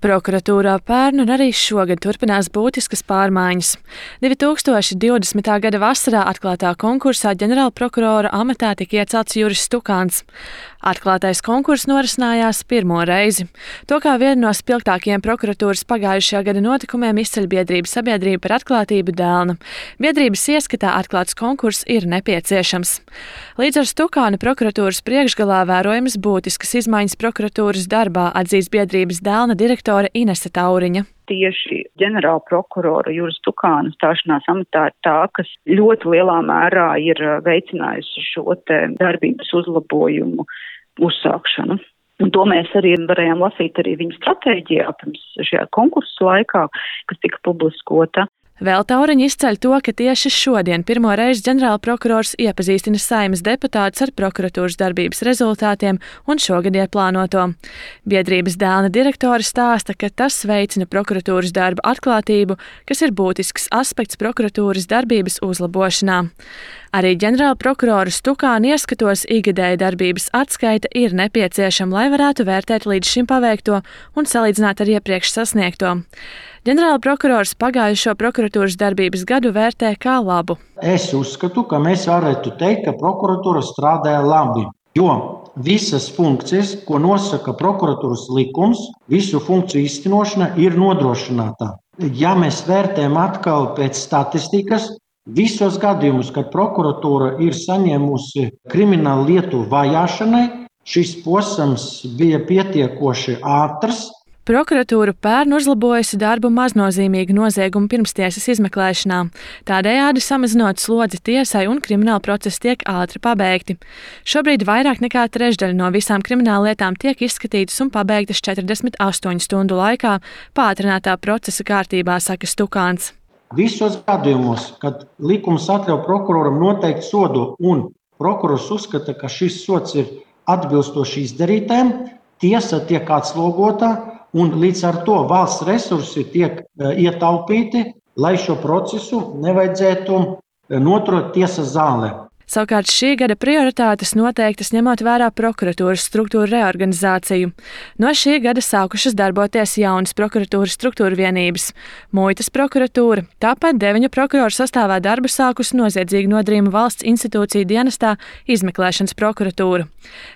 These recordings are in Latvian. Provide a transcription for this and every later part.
Prokuratūrā pērn un arī šogad turpinās būtiskas pārmaiņas. 2020. gada vasarā atklātā konkursā ģenerālprokurora amatā tika iecelts Juris Stukāns. Atklātais konkurss norisinājās pirmo reizi. To kā vienu no spilgtākajiem prokuratūras pagājušajā gada notikumiem izceļ biedrības Sabiedrība par atklātību Dēlna. Biedrības ieskatā atklāts konkurss ir nepieciešams. Līdz ar Stukāna prokuratūras priekšgalā vērojamas būtiskas izmaiņas prokuratūras darbā, atzīst biedrības Dēlna direktore Inese Tauriņa. Tieši ģenerāla prokurora Juris Stukāna stāšanās amatā ir tā, kas ļoti lielā mērā ir veicinājusi šo te darbības uzlabojumu uzsākšanu. Un to mēs arī varējām lasīt arī viņa stratēģijā pirms šajā konkursu laikā, kas tika publiskota. Vēl Tauriņa izceļ to, ka tieši šodien pirmo reizi ģenerālprokurors iepazīstina Saeimas deputātus ar prokuratūras darbības rezultātiem un šogad ieplānoto. Biedrības Dēlna direktore stāsta, ka tas veicina prokuratūras darba atklātību, kas ir būtisks aspekts prokuratūras darbības uzlabošanā. Arī ģenerālprokurora Stukāna ieskatos ikgadēja darbības atskaita ir nepieciešama, lai varētu vērtēt līdz šim paveikto un salīdzināt ar iepriekš sasniegto. Ģenerālprokurors pagājušo prokuratūras darbības gadu vērtē kā labu. Es uzskatu, ka mēs varētu teikt, ka prokuratūra strādāja labi, jo visas funkcijas, ko nosaka prokuratūras likums, visu funkciju īstenošana ir nodrošināta. Ja mēs vērtējam atkal pēc statistikas, visos gadījumus, kad prokuratūra ir saņēmusi kriminālu lietu vajāšanai, šis posms bija pietiekoši ātrs. Prokuratūra pērn uzlabojusi darbu maznozīmīgu noziegumu pirmstiesas izmeklēšanā, tādējādi samazinot slodzi tiesai un krimināla procesi tiek ātri pabeigti. Šobrīd vairāk nekā trešdaļa no visām krimināllietām tiek izskatītas un pabeigtas 48 stundu laikā pātrinātā procesa kārtībā, saka Stukāns. Visos gadījumos, kad likums atļauj prokuroram noteikt sodu un prokurors uzskata, ka šis sods ir atbilstoši izdarītājiem, tiesa tiek atslogota un līdz ar to valsts resursi tiek ietaupīti, lai šo procesu nevajadzētu noturēt tiesas zālē. Savukārt šī gada prioritātes noteiktas ņemot vērā prokuratūras struktūru reorganizāciju. No šī gada sākušas darboties jaunas prokuratūras struktūra vienības – Muitas prokuratūra, tāpat 9 prokuroru sastāvā darbu sākusi noziedzīgu nodarījumu valsts institūciju dienestā izmeklēšanas prokuratūra.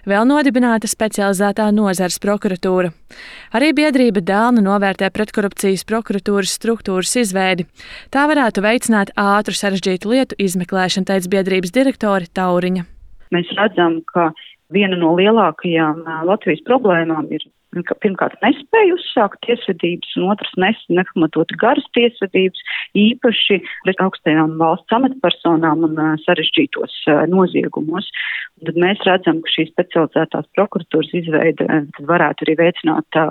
Vēl nodibināta specializētā nozares prokuratūra. Arī biedrība Dēlna novērtē pretkorupcijas prokuratūras struktūras izveidi. Tā varētu veicināt ātru sarežģītu lietu izmeklēšanu, teica biedrības direktore Tauriņa. Mēs redzam, ka viena no lielākajām Latvijas problēmām ir pirmkārt nespēja uzsākt tiesvedības, un otrs nepamatoti garas tiesvedības, īpaši pret augstajām valsts amatpersonām un sarežģītos noziegumos. Un tad mēs redzam, ka šī specializētās prokuratūras izveide varētu arī veicināt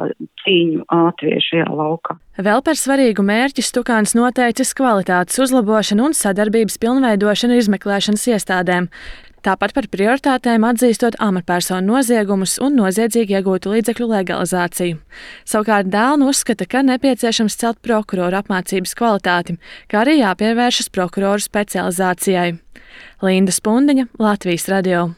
cīņu ātrie šajā laukā. Vēl par svarīgu mērķi Stukāns noteicis kvalitātes uzlabošanu un sadarbības pilnveidošanu izmeklēšanas iestādēm. Tāpat par prioritātēm atzīstot amatpersonu noziegumus un noziedzīgi iegūtu līdzekļu legalizāciju. Savukārt Dēlna uzskata, ka nepieciešams celt prokuroru apmācības kvalitāti, kā arī jāpievēršas prokuroru specializācijai. Linda Spundiņa, Latvijas radio.